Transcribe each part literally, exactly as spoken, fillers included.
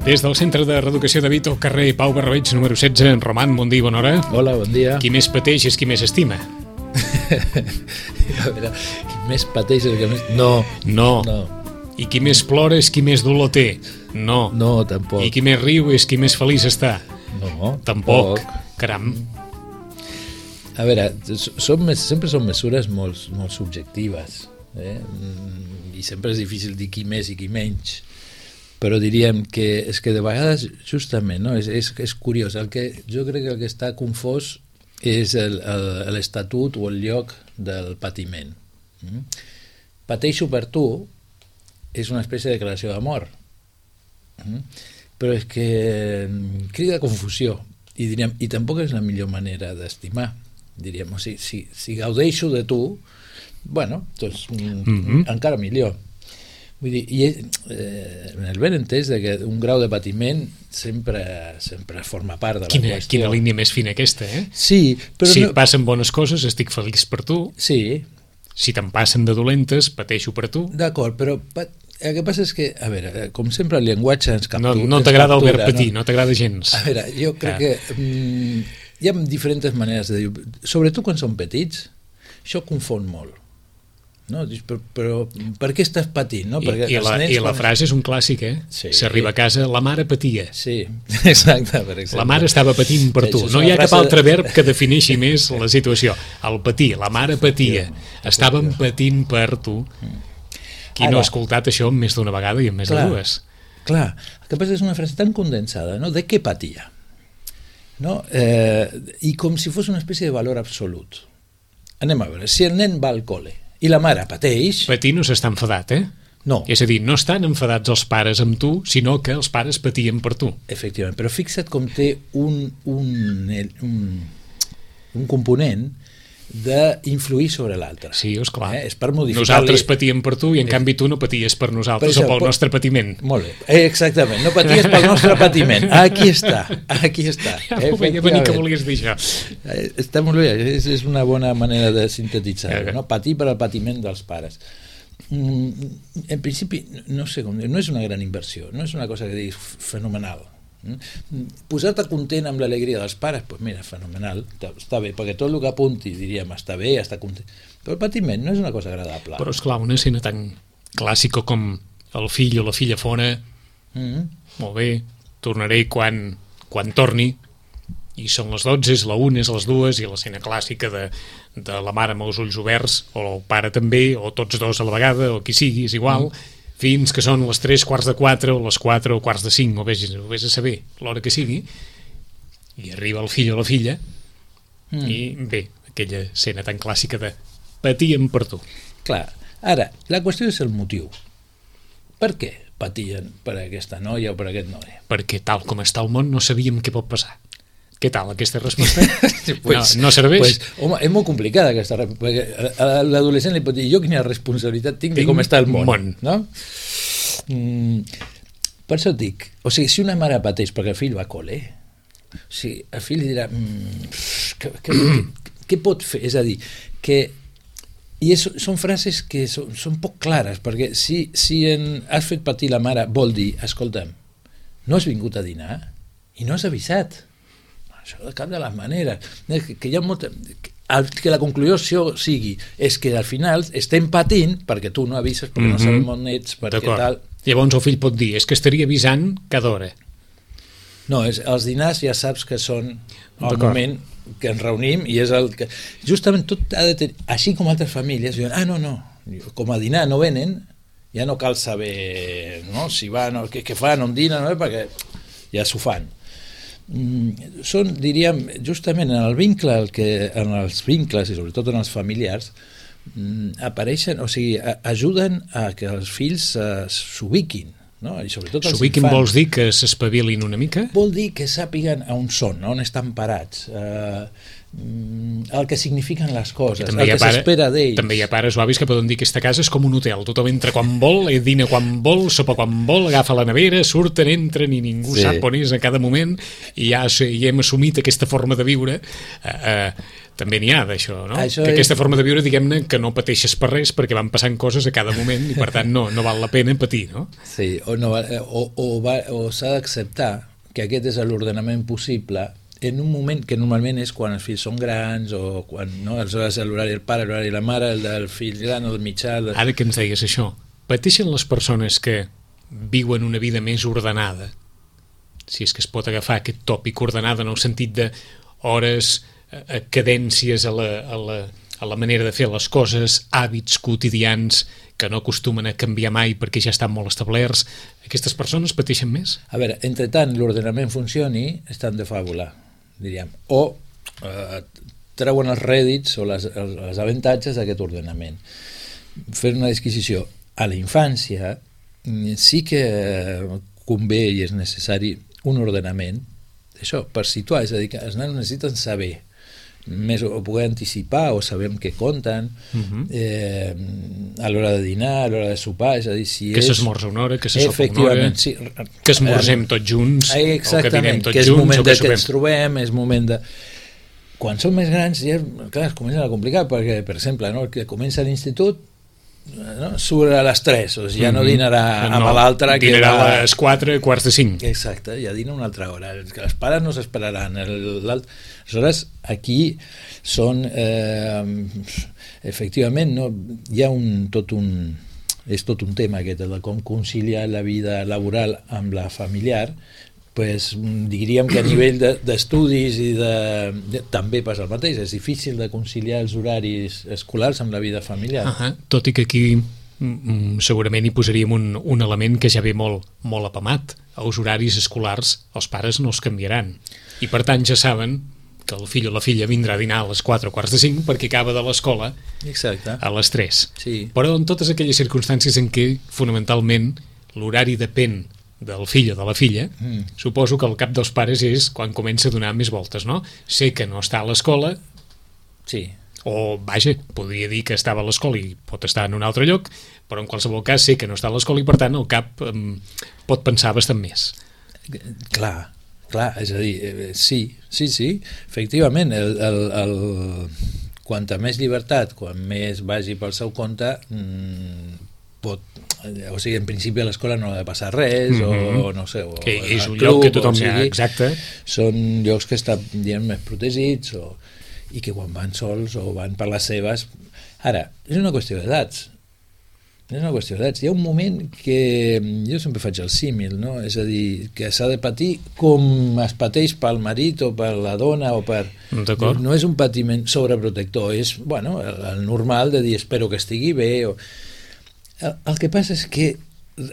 Des del Centre de Reeducació de Vito, carrer Pau Barrabeig, número setze, en Roman, bon dia, bona hora. Hola, bon dia. Qui més pateix és qui més estima. A veure, qui més pateix és el que més... No. No. No. I qui més plora és qui més dolor té. No. No, tampoc. I qui més riu és qui més feliç està. No, Tampoc. tampoc. Caram. A veure, són, sempre són mesures molt, molt subjectives, eh? I sempre és difícil dir qui més i qui menys, però diríem que és que de vegades justament, no? és, és, és curiós, el que, jo crec que el que està confós és l'estatut o el lloc del patiment. Mm? Pateixo per tu és una espècie de declaració d'amor, mm? però és que crida confusió i diríem, i tampoc és la millor manera d'estimar, diríem, o sigui, si, si gaudeixo de tu, bueno, doncs mm-hmm. encara millor. Vull dir, i eh, en el ben entès de que un grau de patiment sempre, sempre forma part de la quina, qüestió. Quina línia més fina aquesta, eh? Sí, però si no... passen bones coses, estic feliç per tu. Sí. Si te'n passen de dolentes, pateixo per tu. D'acord, però el que passa és que, a veure, com sempre el llenguatge ens captura... No, no t'agrada el verb patir, no, no t'agrada gens. A veure, jo crec ah. que mm, hi ha diferents maneres de dir, sobretot quan són petits, això confon molt. No? Però, però per què estàs patint? No? I, i, la, i la quan... frase és un clàssic, eh? Sí. S'arriba a casa, la mare patia. Sí, exacte, per exemple. La mare estava patint per tu. No hi ha cap altre verb que defineixi més la situació. El patir, la mare patia. Estàvem patint per tu. Qui no ha escoltat això més d'una vegada i en més clar, de dues? Clar, el que passa és una frase tan condensada, no? De què patia? No? Eh, I com si fos una espècie de valor absolut. Anem a veure, si el nen va al col·le i la mare pateix... Patir no s'està enfadat, eh? No. És a dir, no estan enfadats els pares amb tu, sinó que els pares patien per tu. Efectivament, però fixa't com té un, un, un, un component d'influir sobre l'altre. Sí, esclar. Eh? És per modificar-li... Nosaltres patíem per tu i en canvi tu no paties per nosaltres per això, o pel pot... nostre patiment. Molt bé, eh, exactament, no paties pel nostre patiment. Aquí està, aquí està. Ja ho veia venir que volies dir això. Eh, està molt bé, és, és una bona manera de sintetitzar-ho, no? Patir per al patiment dels pares. Mm, en principi, no sé com dir, no és una gran inversió, no és una cosa que diguis fenomenal. Posar-te content amb l'alegria dels pares, doncs mira, fenomenal, està bé, perquè tot el que apunti diríem està bé, està content, però el patiment no és una cosa agradable. Però esclar, una escena tan clàssica com el fill o la filla fora, mm-hmm. molt bé, tornaré quan, quan torni, i són les dotze, és la una, és les dues, i l'escena clàssica de, de la mare amb els ulls oberts, o el pare també, o tots dos a la vegada, o qui sigui, és igual, mm. fins que són les tres quarts de quatre, o les quatre o quarts de cinc, o vés, o vés a saber l'hora que sigui, i arriba el fill o la filla, mm. i bé, aquella escena tan clàssica de patien per tu. Clar, ara, la qüestió és el motiu. Per què patien per aquesta noia o per aquest noi? Perquè tal com està el món no sabíem què pot passar. Què tal aquesta resposta? pues, no, no serveix? Pues, home, és molt complicada aquesta resposta, perquè a l'adolescent li pot dir jo quina responsabilitat tinc, tinc de com està el món, món. No? Mm, per això et dic, o sigui, si una mare pateix perquè el fill va a col·le, o sigui, el fill li dirà mm, què, què, què, què pot fer? És a dir, que i és, són frases que són, són poc clares, perquè si, si en, has fet patir la mare vol dir, escolta'm, no has vingut a dinar i no has avisat. Això de cap de les maneres, que, que hi ha molta, que la conclusió sigui és que al final estem patint perquè tu no avises, perquè mm-hmm. no sabem on ets, perquè tal. Llavors el fill pot dir, és que estaria avisant cada hora. No, és, els dinars ja saps que són el moment que ens reunim i és el que... Justament tot ha de tenir... Així com altres famílies diuen, ah, no, no, com a dinar no venen, ja no cal saber no, si van o què, què fan, on dinen, no, perquè ja s'ho fan. Mm, són, diríem, justament en el vincle el que, en els vincles i sobretot en els familiars mm, apareixen, o sigui, a, ajuden a que els fills uh, s'ubiquin, no? I sobretot els s'ubiquin infants. Vols dir que s'espavilin una mica? Vol dir que sàpiguen on són, on estan parats, uh, el que signifiquen les coses, el que s'espera d'ells. També hi ha pares o avis que poden dir que aquesta casa és com un hotel, tothom entra quan vol, dina quan vol, sopa quan vol, agafa la nevera, surten, entren i ningú sí. sap on és a cada moment i ja, ja hem assumit aquesta forma de viure eh, eh, també n'hi ha d'això, no? Això que aquesta és... forma de viure, diguem-ne, que no pateixes per res perquè van passant coses a cada moment i per tant no, no val la pena patir, no? Sí, o, no, o, o, va, o s'ha d'acceptar que aquest és l'ordenament possible en un moment que normalment és quan els fills són grans o quan, no, aleshores l'horari del pare, l'horari de la mare, el del fill gran, el mitjà... El... Ara que ens deies això, pateixen les persones que viuen una vida més ordenada, si és que es pot agafar aquest tòpic ordenada en el sentit de hores, eh, cadències a la, a, la, a la manera de fer les coses, hàbits quotidians que no acostumen a canviar mai perquè ja estan molt establerts, aquestes persones pateixen més? A veure, entre tant l'ordenament funcioni, estan de fàbula, diríem, o eh, treuen els rèdits o les, els avantatges d'aquest ordenament. Fer una disquisició. A la infància sí que convé i és necessari un ordenament, això, per situar, és a dir, que els nanos necessiten saber més o poder anticipar o sabem què compten uh-huh. eh, a l'hora de dinar, a l'hora de sopar, és a dir, si que és... s'esmorza una hora, que se sopa una hora, sí, que esmorzem tots junts, o que dinem tots que és junts, moment o que de sopem. Que ens trobem, és moment de... Quan són més grans ja, clar, es comencen a complicar, perquè, per exemple, no, el que comença a l'institut no, surt a les tres, o sigui, ja no dinarà no, amb l'altre que dinarà va... a les quatre, quarts de cinc. Exacte, ja dina una altra hora, que els pares no s'esperaran. Aleshores, aquí són eh, efectivament no, hi ha un, tot un és tot un tema aquest, de com conciliar la vida laboral amb la familiar. Pues, diríem que a nivell d'estudis de, i de, de, també passa el mateix, és difícil de conciliar els horaris escolars amb la vida familiar. Uh -huh. Tot i que aquí mm, segurament hi posaríem un, un element que ja ve molt, molt apamat. Els horaris escolars els pares no els canviaran i per tant ja saben que el fill o la filla vindrà a dinar a les quatre o quarts de cinc perquè acaba de l'escola a les tres. Sí. Però en totes aquelles circumstàncies en què fonamentalment l'horari depèn del fill o de la filla, mm. suposo que el cap dels pares és quan comença a donar més voltes, no? Sé que no està a l'escola, sí. o, vaja, podria dir que estava a l'escola i pot estar en un altre lloc, però en qualsevol cas sé que no està a l'escola i per tant el cap um, pot pensar bastant més. Clar, clar, és a dir, eh, sí, sí, sí, efectivament, el, el, el, quanta més llibertat, quan més vagi pel seu compte, mmm, pot, o sigui, en principi a l'escola no ha de passar res, mm-hmm. o no sé, o que és un club, lloc que tothom o sigui, exacte. Són llocs que estan, diguem, més protegits, o, i que quan van sols o van per les seves... Ara, és una qüestió d'edats, és una qüestió d'edats. Hi ha un moment que jo sempre faig el símil, no? És a dir, que s'ha de patir com es pateix pel marit o per la dona o per... D'acord. No és un patiment sobreprotector, és, bueno, el, el normal de dir espero que estigui bé o... El, el que passa és que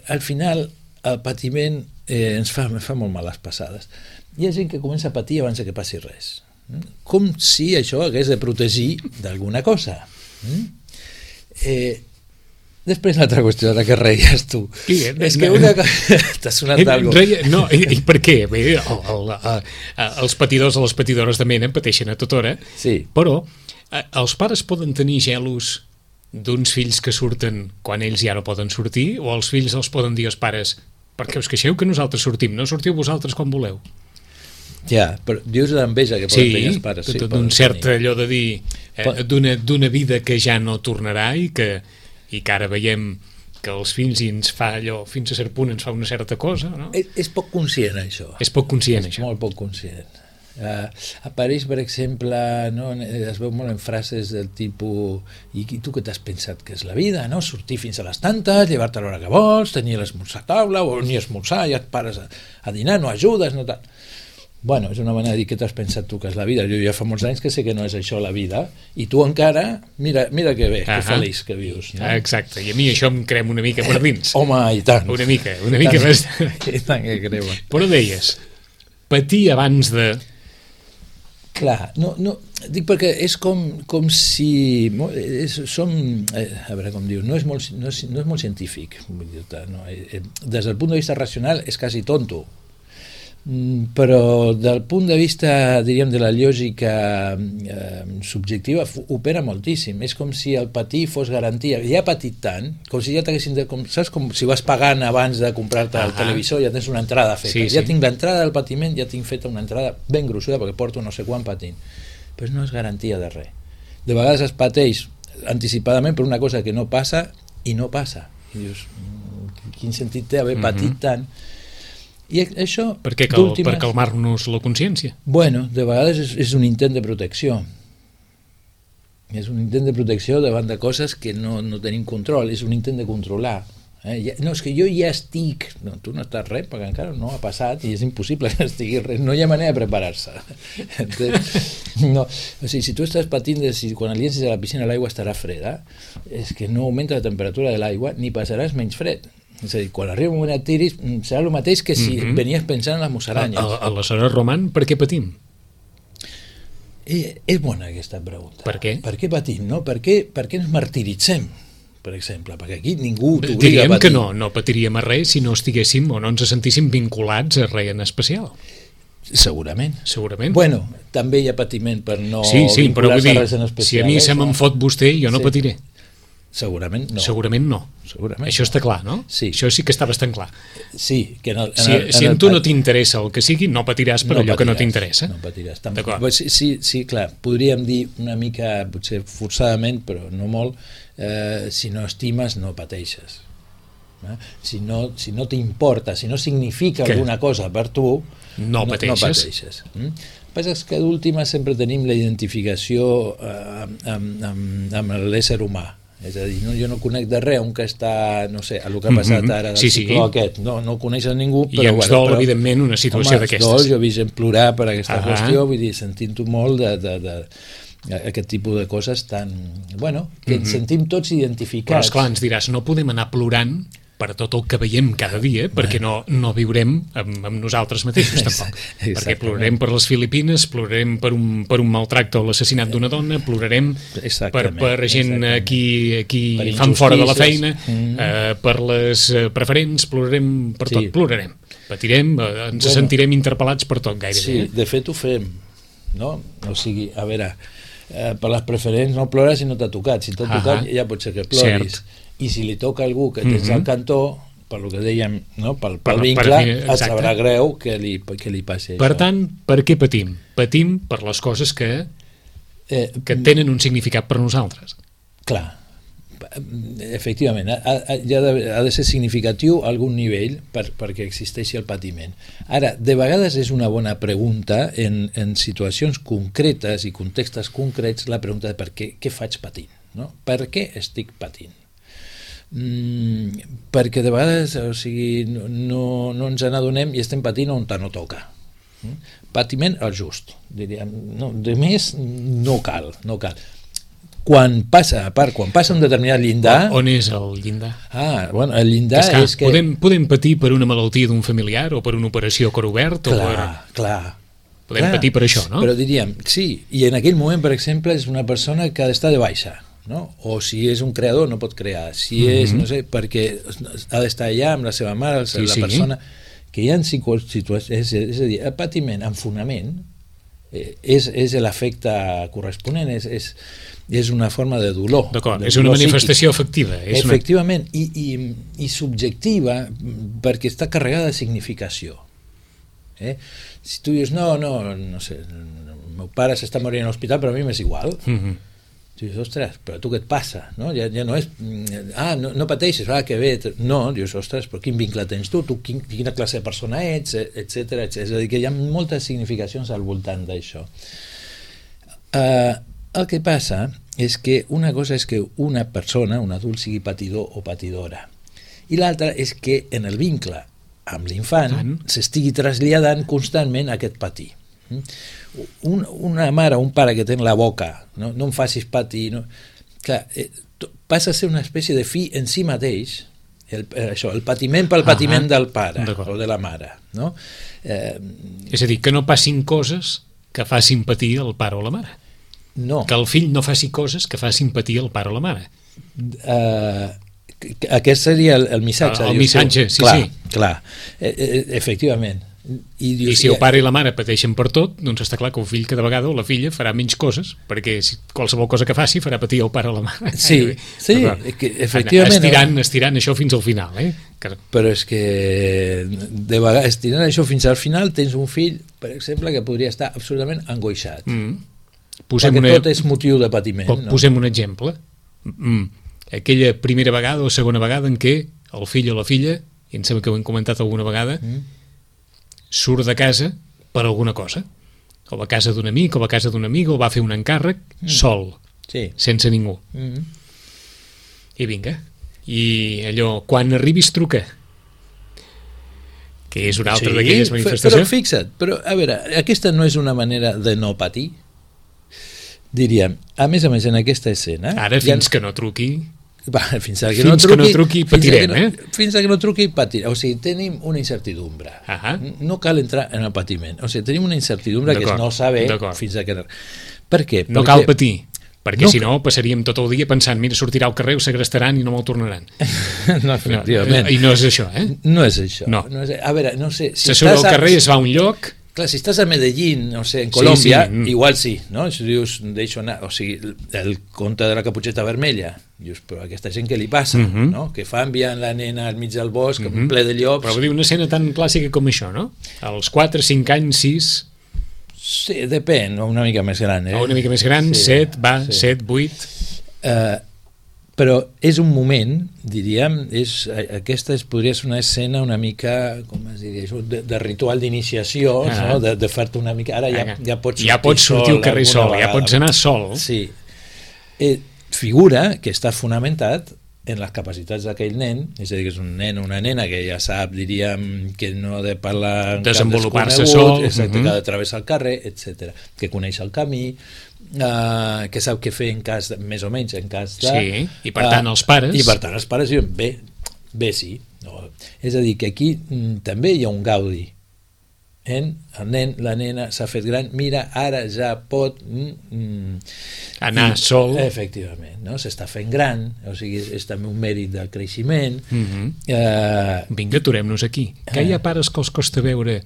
al final el patiment eh, ens fa, fa molt males passades. Hi ha gent que comença a patir abans que passi res. Com si això hagués de protegir d'alguna cosa. Eh, després l'altra qüestió de la que reies tu. Sí, és que una cosa... T'ha sonat alguna cosa. No, i, i per què? Bé, el, el, el, els patidors o les patidores de mena pateixen a tota hora, sí. Però eh, els pares poden tenir gelos d'uns fills que surten quan ells ja no poden sortir, o els fills els poden dir als pares perquè us queixeu que nosaltres sortim, no sortiu vosaltres quan voleu. Ja, però dius l'enveja que poden sí, tenir els pares. Sí, d'un cert allò de dir eh, d'una vida que ja no tornarà i que, i que ara veiem que els fills ens fa allò, fins a cert punt ens fa una certa cosa, no? És, és poc conscient, això. És poc conscient, és això. molt poc conscient. Uh, apareix, per exemple, no, es veu molt en frases del tipus i tu què t'has pensat que és la vida, no? Sortir fins a les tantes, llevar-te a l'hora que vols, tenir l'esmorzar a taula o ni esmorzar, ja et pares a, a dinar, no ajudes, no tal. Bueno, és una manera de dir què t'has pensat tu que és la vida. Jo ja fa molts anys que sé que no és això la vida i tu encara, mira, mira que bé, uh -huh. que feliç que vius, no? Exacte, i a mi això em crema una mica per dins. Eh, home, i tant. Una mica, una mica I més. I tant que crema. Però deies, patir abans de... Clar, no, no, dic perquè és com, com si és, som, eh, a veure com diu, no és molt, no és, no és molt científic, no, eh, des del punt de vista racional és quasi tonto, però del punt de vista, diríem, de la lògica eh, subjectiva opera moltíssim. És com si el patir fos garantia. Ja ha patit tant, com si ja t'haguessin de, com, saps, com si vas pagant abans de comprar-te el televisor, ja tens una entrada feta, sí, sí. Ja tinc l'entrada del patiment, ja tinc feta una entrada ben gruixuda perquè porto no sé quan patint. però no és garantia de res. De vegades es pateix anticipadament per una cosa que no passa i no passa. I dius, quin sentit té haver patit mm-hmm. tant? I això, per què cal, per calmar-nos la consciència? Bueno, de vegades és, és un intent de protecció. És un intent de protecció davant de coses que no, no tenim control, és un intent de controlar. Eh? Ja, no, és que jo ja estic... No, tu no estàs res, perquè encara no ha passat i és impossible que estigui res. No hi ha manera de preparar-se. No, o sigui, si tu estàs patint de si quan el llencis a la piscina l'aigua estarà freda, és que no augmenta la temperatura de l'aigua ni passaràs menys fred. És a dir, quan arriba un moment et tiris, serà el mateix que si mm-hmm. venies pensant en les musaranyes. Aleshores, Roman, per què patim? Eh, és bona aquesta pregunta. Per què? Per què patim, no? Per què, per què ens martiritzem, per exemple? Perquè aquí ningú t'obliga a patir. Diríem que no, no patiríem a res si no estiguéssim o no ens sentíssim vinculats a res en especial. Segurament. Segurament. Bueno, també hi ha patiment per no sí, sí, vincular-se a res en especial. Si a mi eh, se me'n fot vostè, jo no sí. patiré. Segurament no. Segurament no. Segurament Això no. està clar, no? Sí. Això sí que està bastant clar. Sí. Que en el, en si el, en si el, a tu no t'interessa el que sigui, no patiràs per no allò patiràs, que no t'interessa. No patiràs. Sí, sí, sí, clar, podríem dir una mica, potser forçadament, però no molt, eh, si no estimes, no pateixes. Eh? Si no, si no t'importa, si no significa que? alguna cosa per tu, no, no pateixes. No pateixes. Mm? El que passa és que d'última sempre tenim la identificació eh, amb, amb, amb l'ésser humà. És a dir, no, jo no conec de res un que està, no sé, el que ha passat ara del sí, cicló sí. aquest, no, no coneixes ningú, i però... ens bueno, dol, però, evidentment, una situació d'aquestes. Home, ens dol, jo he vist plorar per aquesta ah, qüestió, vull dir, sentint-ho molt de, de, de aquest tipus de coses tan... Bueno, que ens mm-hmm. sentim tots identificats. Però, esclar, ens diràs, no podem anar plorant per tot el que veiem cada dia, perquè no, no viurem amb, amb nosaltres mateixos, tampoc. Perquè plorarem per les Filipines, plorarem per un, per un maltracte o l'assassinat d'una dona, plorarem per, per gent aquí, aquí fan fora de la feina, mm. eh, per les preferents, plorarem per tot, sí. plorarem. Patirem, eh, ens bueno, sentirem interpel·lats per tot, gairebé. Sí, de fet ho fem, no? O sigui, a veure, eh, per les preferents no plores si no t'ha tocat, si t'ha tocat ja pot ser que ploris. Cert. I si li toca a algú que tens mm-hmm. al cantó, per lo que dèiem, no? pel, pel vincle, per, per, et sabrà greu que li, que li passi per això. Per tant, per què patim? Patim per les coses que, eh, que tenen un significat per nosaltres. Clar, efectivament, ha, ha, ha, de, ha de ser significatiu a algun nivell per, perquè existeixi el patiment. Ara, de vegades és una bona pregunta en, en situacions concretes i contextes concrets, la pregunta de per què, què faig patint, no? Per què estic patint? Mm, perquè de vegades, o sigui, no, no, no ens n'adonem i estem patint on no toca. Mm? Patiment al just, diríem. No, de més no cal, no cal. Quan passa, a part, quan passa un determinat llindar... On és el llindar? Ah, bueno, el llindar que és, és que... Podem, podem patir per una malaltia d'un familiar o per una operació a cor obert? Clar, o per... clar. Podem clar, patir per això, no? Però diríem, sí, i en aquell moment, per exemple, és una persona que ha d'estar de baixa, no? O si és un creador no pot crear, si mm-hmm. és, no sé, perquè ha d'estar allà amb la seva mare, sí, la sí. persona que hi ha situacions, és, és a dir, el patiment en fonament eh, és, és l'efecte corresponent, és, és, és una forma de dolor. D'acord, és una manifestació psíquic. efectiva. És Efectivament, una... I, i, i subjectiva perquè està carregada de significació. Eh? Si tu dius, no, no, no sé, el meu pare s'està morint a l'hospital, però a mi m'és igual. Mm-hmm. Tu dius, ostres, però tu què et passa? No? Ja, ja no és, ah, no, no pateixes, ah, que bé, no, dius, ostres, però quin vincle tens tu, tu quin, quina classe de persona ets, etcètera, etcètera. És a dir, que hi ha moltes significacions al voltant d'això. Uh, el que passa és que una cosa és que una persona, un adult, sigui patidor o patidora, i l'altra és que en el vincle amb l'infant s'estigui traslladant constantment aquest patir. Un, una mare o un pare que té la boca, no, no em facis patir, no, clar, eh, passa a ser una espècie de fi en si mateix, el, això, el patiment pel patiment ah, del pare o de la mare, no? Eh, és a dir, que no passin coses que facin patir el pare o la mare. No. Que el fill no faci coses que facin patir el pare o la mare. Eh, aquest seria el, el missatge. El, el missatge, sí, clar, sí. Clar, eh, eh, efectivament. I, dius, I si el pare i la mare pateixen per tot, doncs està clar que el fill cada vegada o la filla farà menys coses, perquè si qualsevol cosa que faci farà patir el pare o la mare. Sí, sí, que efectivament. Estirant, estirant això fins al final. Eh? Que... Però és que de vegades estirant això fins al final tens un fill, per exemple, que podria estar absolutament angoixat. Mm. Posem perquè una... tot és motiu de patiment. Po- No? Posem un exemple. Mm. Aquella primera vegada o segona vegada en què el fill o la filla, i em sembla que ho hem comentat alguna vegada, Mm. surt de casa per alguna cosa. O va a casa d'un amic, o va a casa d'un amic, o va a fer un encàrrec Mm. sol, Sí. sense ningú. Mm. I vinga. I allò, quan arribis truca. Que és una altra Sí, d'aquelles però manifestacions. fixa't, però a veure, aquesta no és una manera de no patir? Diríem, a més a més en aquesta escena... Ara, fins que no truqui... Va, fins a que Fins no que truqui, no truqui fins a que patirem, no, eh? Fins a que no truqui patirem. O sigui, tenim una incertidumbre. Ahà. No cal entrar en el patiment. O sigui, tenim una incertidumbre que és D'acord, no saber d'acord. fins a que... Per què? No Perquè... cal patir, perquè No si cal- no passaríem tot el dia pensant, mira, sortirà al carrer, ho segrestaran i no me'l tornaran. no, efectivament. I no és això, eh? No és això. No. no és... A veure, no sé... Se surt al estàs a- carrer, es va a un lloc... Clar, si estàs a Medellín, o sigui, en Colòmbia, Sí, sí. igual sí, no? Si dius, deixo anar, o sigui, el conte de la caputxeta vermella, dius, però a aquesta gent què li passa, Mhm. no? Que fa enviant la nena al mig del bosc, Mhm. ple de llops... Però vull dir, una escena tan clàssica com això, no? Als quatre, cinc anys, sis, Sí, depèn, una mica més gran, eh? o una mica més gran, Sí, set, va, sí. set, vuit... Eh, però és un moment, diríem, és, aquesta es, podria ser una escena una mica, com es diria això, de, de ritual d'iniciació, Ah. no? de, de fer-te una mica... Ara ja, ja pots sortir, ja pots sortir sol al carrer alguna sol, ja vegada. pots anar sol. Sí. Eh, figura que està fonamentat en les capacitats d'aquell nen, és a dir, que és un nen o una nena que ja sap, diríem, que no ha de parlar en cap Desenvolupar-se desconegut, sol, exacte, mhm. que ha de travessar el carrer, etcètera, que coneix el camí, uh, que sap què fer en cas, de, més o menys, en cas de... Sí, i per tant els pares... I per tant els pares diuen, bé, bé sí. No. És a dir, que aquí mm, també hi ha un gaudi. En, el nen, la nena s'ha fet gran, mira, ara ja pot... Mm, mm, Anar i, sol. Efectivament, no? S'està fent gran, o sigui, és, és també un mèrit del creixement. Mhm. Eh, Vinga, aturem-nos aquí. Que hi ha pares que els costa veure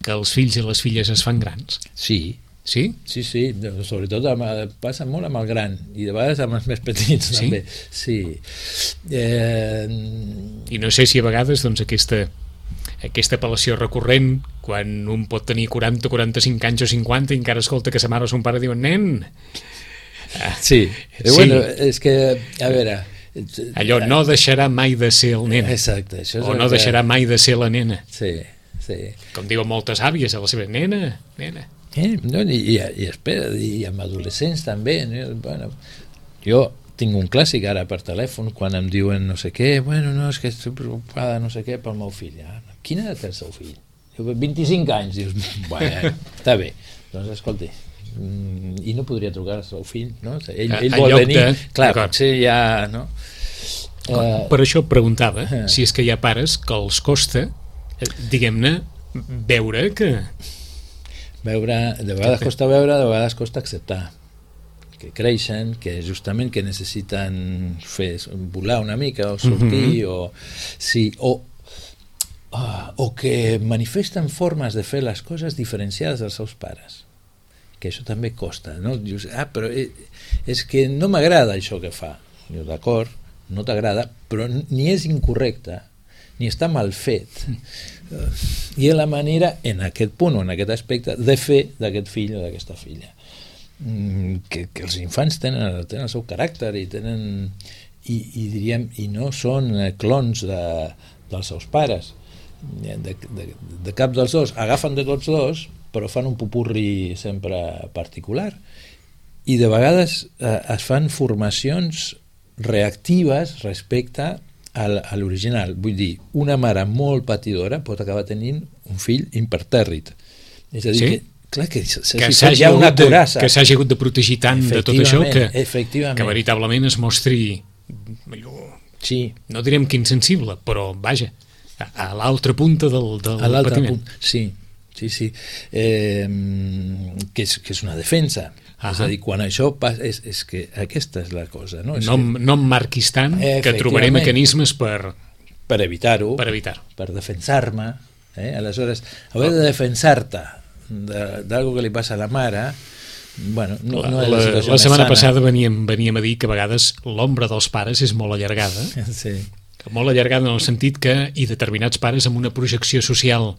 que els fills i les filles es fan grans? sí, Sí? sí, sí, sobretot amb, passa molt amb el gran i de vegades amb els més petits Sí? també. Sí. Eh, I no sé si a vegades doncs, aquesta, aquesta apel·lació recurrent, quan un pot tenir quaranta, quaranta-cinc anys o cinquanta i encara escolta que sa mare o son pare diuen nen, sí, Sí. bueno, és que, a veure... allò no deixarà mai de ser el nen, Exacte, això és o el no que- deixarà mai de ser la nena. Sí, sí. Com diuen moltes àvies a la seva nena, nena. Eh, no, i, i, i espera, i amb adolescents també, no? Bueno, jo tinc un clàssic ara per telèfon quan em diuen no sé què, bueno, no, és que estic preocupada no sé què pel meu fill. Ah, quina edat té el seu fill? Diu, vint-i-cinc anys. Dius, bueno, està bé. Doncs escolti, mm, i no podria trucar al seu fill, no? Ell, A- ell en vol lloc venir, de- clar, d'acord. potser ja, no? Eh, Per això et preguntava eh. si és que hi ha pares que els costa, eh, diguem-ne, veure que... veure, de vegades costa veure, de vegades costa acceptar que creixen, que justament que necessiten fer volar una mica o sortir, Mhm. o sí, o ah, o que manifesten formes de fer les coses diferenciades dels seus pares, que això també costa, no? Dius, ah, però eh, és que no m'agrada això que fa. Dius, d'acord, no t'agrada, però ni és incorrecte ni està mal fet. I és la manera, en aquest punt o en aquest aspecte, de fer d'aquest fill o d'aquesta filla. Mm, Que, que els infants tenen, tenen el seu caràcter i tenen i, i diríem, i no són eh, clons de, dels seus pares. De, de, de cap dels dos. Agafen de tots dos, però fan un pupurri sempre particular. I de vegades eh, es fan formacions reactives respecte al, a l'original. Vull dir, una mare molt patidora pot acabar tenint un fill impertèrrit. És a dir, Sí? que, clar, que, se, se, que si s'hagi hi ha una hagut, de, curassa. que s'hagi hagut de protegir tant de tot això que, efectivament. que veritablement es mostri allò, Sí, no direm que insensible, però vaja, a, a l'altra punta del, del a l'altre patiment. punt. Sí, sí, sí. Eh, que, és, que és una defensa. Ahà. És a dir, quan això passa, és, és que aquesta és la cosa, no? És No, em- no em marquis tant, que Efectivament. trobaré mecanismes per, que, per evitar-ho, per evitar-ho. per defensar-me, eh? Aleshores, haver de defensar-te de- d'algo que li passa a la mare, bueno, no, no és la, la, situació la més setmana sana. passada veníem, veníem a dir que a vegades l'ombra dels pares és molt allargada, Sí. molt allargada en el sentit que i determinats pares amb una projecció social,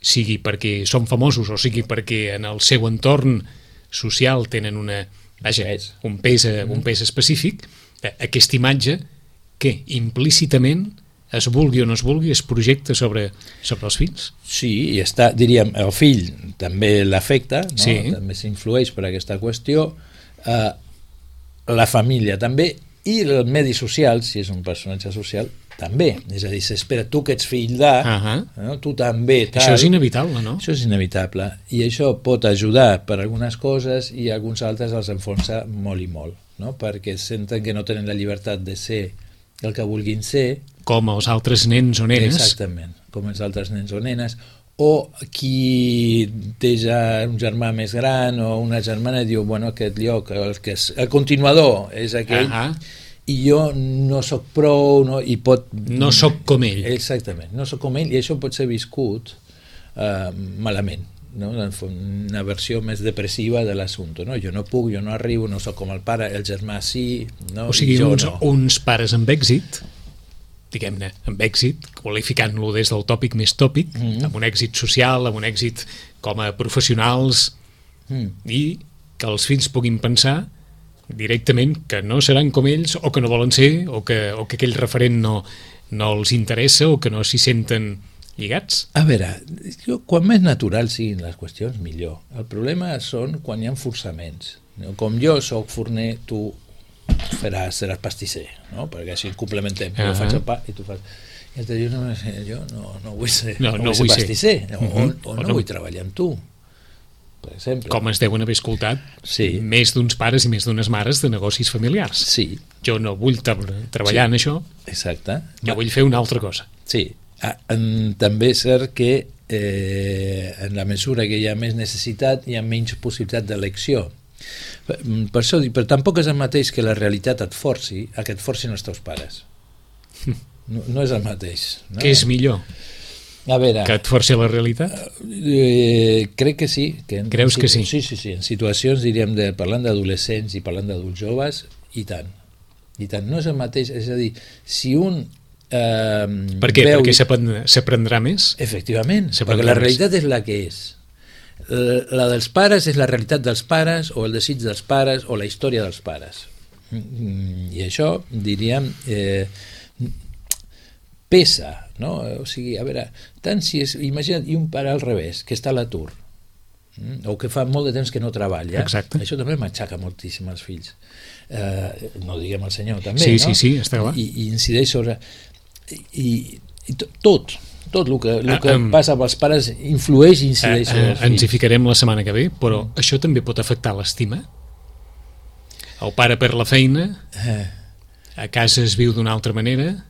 sigui perquè són famosos o sigui perquè en el seu entorn social, tenen una, vaja, Pes. un pes, un pes específic, aquesta imatge que implícitament es vulgui o no es vulgui es projecta sobre, sobre els fills. Sí, i està, diríem, el fill també l'afecta, no? Sí. També s'influeix per aquesta qüestió, eh, la família també, i el medi social, si és un personatge social, també. És a dir, s'espera, tu que ets fill de, Uh-huh. no? Tu també... Tal. Això és inevitable, no? Això és inevitable, i això pot ajudar per algunes coses i alguns altres els enfonsa molt i molt, no? Perquè senten que no tenen la llibertat de ser el que vulguin ser. Com els altres nens o nenes. Exactament, com els altres nens o nenes, o qui té ja un germà més gran o una germana i diu, bueno, aquest lloc, el, que és, el continuador és aquell, Uh-huh. i jo no sóc prou, no, i pot... No sóc com ell. Exactament, no sóc com ell, i això pot ser viscut eh, malament, no? Una versió més depressiva de l'assumpte, no? Jo no puc, jo no arribo, no sóc com el pare, el germà sí, no? O sigui, I jo uns, no. uns pares amb èxit, diguem-ne, amb èxit, qualificant-lo des del tòpic més tòpic, Mm. amb un èxit social, amb un èxit com a professionals, Mm. i que els fills puguin pensar directament que no seran com ells, o que no volen ser, o que, o que aquell referent no, no els interessa, o que no s'hi senten lligats. A veure, jo, quan més natural siguin les qüestions, millor. El problema són quan hi ha forçaments. No? Com jo sóc forner, tu faràs, seràs pastisser, no? Perquè així complementem. Jo Uh-huh. faig el pa i tu fas... I el jo no, jo no, no vull ser, No, no, no vull ser vull ser. pastisser, o, Uh-huh. o, o O no, no. vull treballar amb tu, per exemple. Com es deuen haver escoltat Sí. més d'uns pares i més d'unes mares de negocis familiars. Sí, Jo no vull tra- treballar Sí. en això, exacte. jo vull fer una altra cosa. Sí, ah, en, també és cert que eh, en la mesura que hi ha més necessitat hi ha menys possibilitat d'elecció. Per, per això dic, però tampoc és el mateix que la realitat et forci a que et forcin els teus pares. No, no és el mateix. No? Què és millor? A veure, Que et forci la realitat? eh, crec que sí. Que en, Creus que sí? Sí, sí, sí. En situacions, diríem, de, parlant d'adolescents i parlant d'adults joves, i tant. I tant. No és el mateix. És a dir, si un eh, Per què? veu... Perquè s'aprendrà s'aprendrà més? Efectivament, Se perquè prendrà la més. realitat és la que és. Eh, La dels pares és la realitat dels pares, o el desig dels pares, o la història dels pares. Mm, I això, diríem, eh, pesa, no? O sigui, a veure, tant si és... Imagina't, i un pare al revés, que està a l'atur, mm, o que fa molt de temps que no treballa. Exacte. Això també m'aixaca moltíssim als fills. Eh, no diguem al senyor, també, Sí, no? sí, sí, està clar. I, i incideix sobre... I, i to- tot, tot el que, el Ah, que em- passa amb els pares influeix i Eh, incideix sobre eh, els ens hi fills. ficarem la setmana que ve, però això també pot afectar l'estima? El pare per la feina, Eh, a casa es viu d'una altra manera,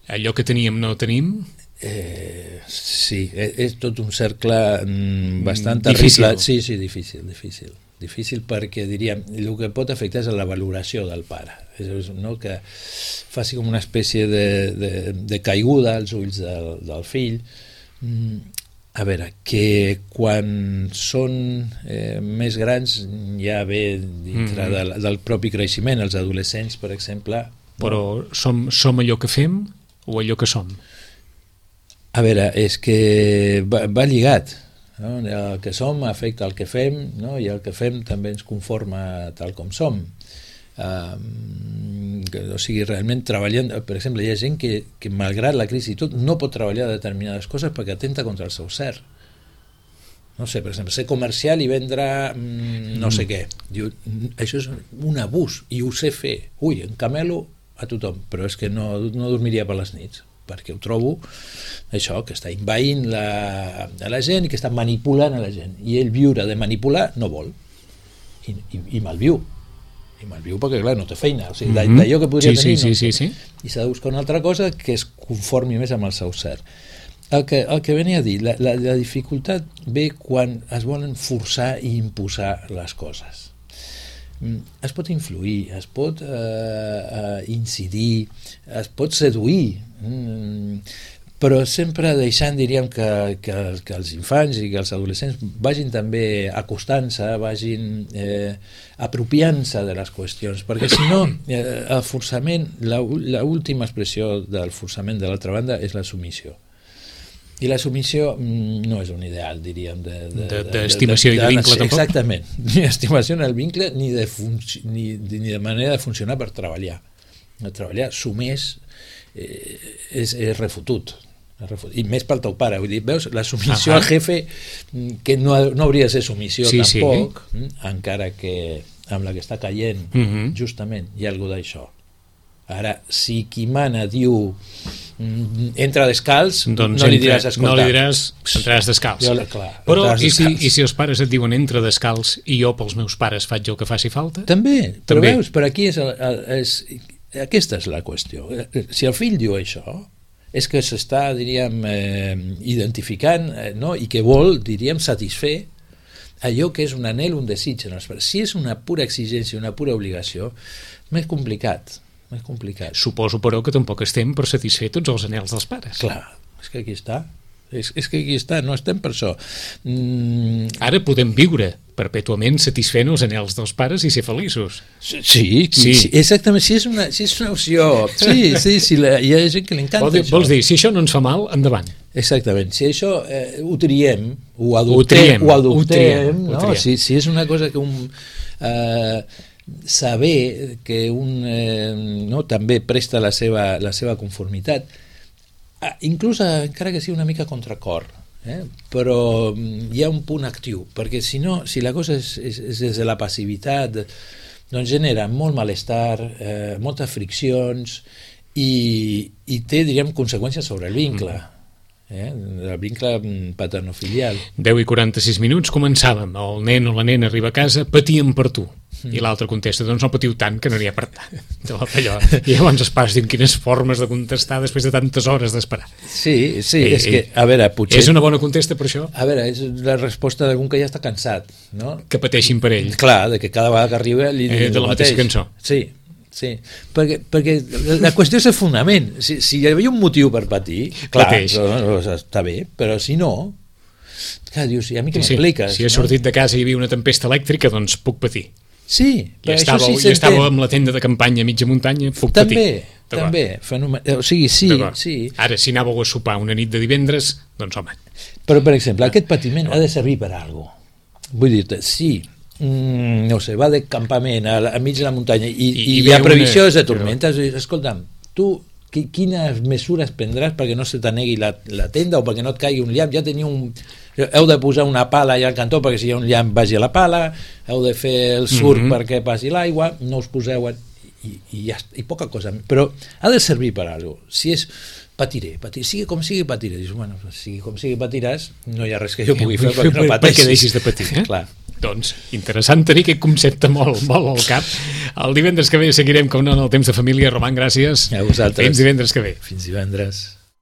allò que teníem no tenim, eh, sí, és, és tot un cercle mm, bastant Difícil. terrible. Sí, sí, difícil, difícil. Difícil perquè, diríem, el que pot afectar és la valoració del pare. És, és, no? Que faci com una espècie de, de, de caiguda als ulls del, del fill. Mm, a veure, que quan són eh, més grans ja ve dintre Mm. del, del propi creixement, els adolescents, per exemple. però som, som allò que fem o allò que som? A veure, és que va, va lligat, no? El que som afecta el que fem, no? I el que fem també ens conforma tal com som. Um, que, o sigui, realment treballant, per exemple, hi ha gent que, que malgrat la crisi i tot, no pot treballar determinades coses perquè atenta contra el seu cert. No sé, per exemple, ser comercial i vendre mm, no sé què. Diu, això és un abús i ho sé fer. Ui, encamelo a tothom, però és que no, no dormiria per les nits, perquè ho trobo això, que està envaint la, a la gent i que està manipulant a la gent, i ell viure de manipular no vol, i, i, i malviu i malviu perquè clar, no té feina, o sigui, Mhm. d'allò que podria Sí, tenir sí, no, sí, sí, sí. i s'ha de buscar una altra cosa que es conformi més amb el seu cert. El que, el que venia a dir, la, la, la dificultat ve quan es volen forçar i imposar les coses. Mm, es pot influir, es pot eh, eh, incidir, es pot seduir, mm, però sempre deixant, diríem, que, que, que els infants i que els adolescents vagin també acostant-se, vagin eh, apropiant-se de les qüestions, perquè si no, eh, el forçament, l'última expressió del forçament de l'altra banda és la submissió. I la submissió no és un ideal, diríem, d'estimació de, de, de, de, de, de, i de vincle, tampoc? Exactament, ni estimació en el vincle ni de, func ni, ni de manera de funcionar per treballar. De treballar sumés eh, és, és refutut. I més pel teu pare, vull dir, veus, la submissió al jefe, que no, no hauria de ser submissió sí, tampoc, sí. encara que amb la que està caient, uh -huh. justament, hi ha alguna d'això. Ara, si qui mana diu entra descalç, doncs no li diràs escoltar. No li diràs entraràs descalç. Jo, clar, però i si, i si els pares et diuen entra descalç i jo pels meus pares faig el que faci falta? També, però També. veus, per aquí és, el, és, aquesta és la qüestió. Si el fill diu això, és que s'està, diríem, eh, identificant, eh, no? I que vol, diríem, satisfer allò que és un anhel, un desig en els pares. Si és una pura exigència, una pura obligació, més complicat, més complicat. Suposo, però, que tampoc estem per satisfer tots els anhels dels pares. Clar, és que aquí està. És, és que aquí està, no estem per això. Mm. Ara podem viure perpètuament satisfent els anhels dels pares i ser feliços. Sí, sí, sí. exactament, si és una, si és una opció. Sí, sí, sí, la, hi ha gent que li encanta Vol dir, això. Vols dir, si això no ens fa mal, endavant. Exactament, si això eh, ho triem, ho adoptem, ho, ho adoptem, ho triem, no? Ho triem. Si, si és una cosa que un... Eh, saber que un eh, no, també presta la seva, la seva conformitat, ah, inclús encara que sigui una mica contracor, eh? Però hi ha un punt actiu, perquè si no, si la cosa és, és, és des de la passivitat, doncs genera molt malestar, eh, moltes friccions i, i té, diríem, conseqüències sobre el vincle. Mm. Eh, el vincle paternofilial. deu i quaranta-sis minuts, començàvem. El nen o la nena arriba a casa, patien per tu. Mm. I l'altre contesta, doncs no patiu tant, que no n'hi ha per tant. I llavors els pares diuen quines formes de contestar després de tantes hores d'esperar. Sí, sí, eh, és que, a veure, potser... És una bona contesta per això? A veure, és la resposta d'algun que ja està cansat, no? Que pateixin per ell. Clar, de que cada vegada que arriba li diuen eh, de la mateixa cançó. Sí. Sí, perquè, perquè la qüestió és el fonament. Si, si hi havia un motiu per patir, clar, no, està bé, però si no, clar, dius, i a mi què sí, m'expliques? Si he no? sortit de casa i hi havia una tempesta elèctrica, doncs puc patir. Sí, però I estava, això sí I estava amb la tenda de campanya a mitja muntanya, puc també, patir. També, fenomen... o sigui, sí, sí. Ara, si anàveu a sopar una nit de divendres, doncs home. Però, per exemple, aquest patiment ha de servir per a alguna cosa. Vull dir-te, sí, Mm, no sé, va de campament a, a mig de la muntanya i, I, i, i la previsió una... és de tormentes. Escolta'm, tu quines mesures prendràs perquè no se t'anegui la, la tenda o perquè no et caigui un llamp? Ja teniu un... heu de posar una pala allà al cantó perquè si hi ha un llamp vagi a la pala, heu de fer el surf mm -hmm. perquè passi l'aigua, no us poseu en... I, i, ja, i poca cosa, però ha de servir per a alguna cosa. Si és patiré, patiré, sigui com sigui patiré, dius, bueno, sigui com sigui patiràs, no hi ha res que jo pugui fer perquè no pateixis. Perquè deixis de patir, eh? Clar. Doncs interessant tenir aquest concepte molt, molt al cap. El divendres que ve seguirem, com no, en el temps de família. Roman, gràcies. A vosaltres. Fins divendres que ve. Fins divendres.